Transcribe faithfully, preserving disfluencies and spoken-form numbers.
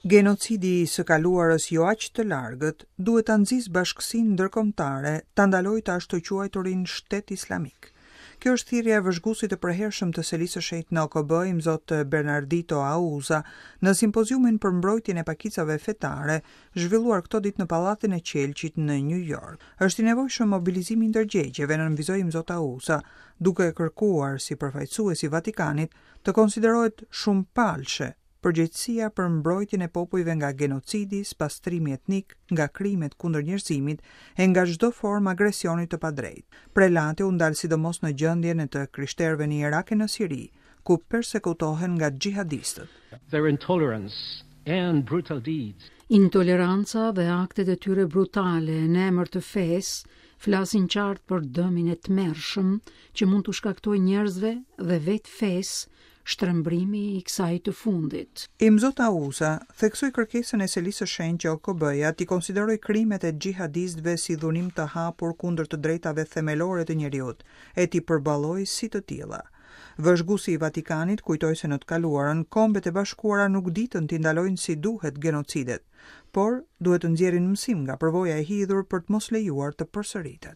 Genocidi i së kaluarës jo aq të largët duhet ta nxisë bashkësinë ndërkombëtare ta ndalojë të ashtuquajturin shtet islamik. Kjo është thirrja e vëzhguesit të përhershëm të Selisë së Shenjtë në O K B, Imzot Bernardito Auza, në simpoziumin për mbrojtjen e pakicave fetare, zhvilluar këto ditë në Pallatin e Qelqit në New York. Është i nevojshëm mobilizimi i ndërgjegjeve, nënvizoi Imzot Auza, duke kërkuar si përfaqësues i Vatikanit të konsiderohet shumë palshe përgjegjësia për mbrojtjen e popujve nga genocidi, spastrimi etnik, nga krimet kundër njerëzimit e nga çdo formë agresioni të padrejtë. Prelati u ndal sidomos në gjendjen e të krishterëve në Irak e në Siri, ku persekutohen nga xhihadistët. Their intolerance and brutal deeds. Intoleranca dhe aktet e tyre brutale në emër të fesë flasin qartë për dëmin e tmerrshëm që mund t'u shkaktojë njerëzve dhe vetë fesë shtrembrimi i kësaj të fundit. Imzot Auza theksoi kërkesën e Selisë së Shenjtë që O K B-ja t'i konsiderojë krimet e xhihadistëve si dhunim të hapur kundër të drejtave themelore të njeriut e t'i përballojë si të tilla. Vëzhguesi i Vatikanit kujtoi se në të kaluarën Kombet e Bashkuara nuk ditën t'i ndalojnë si duhet genocidet, por duhet të nxjerrin mësim nga përvoja e hidhur për të mos lejuar të përsëritet.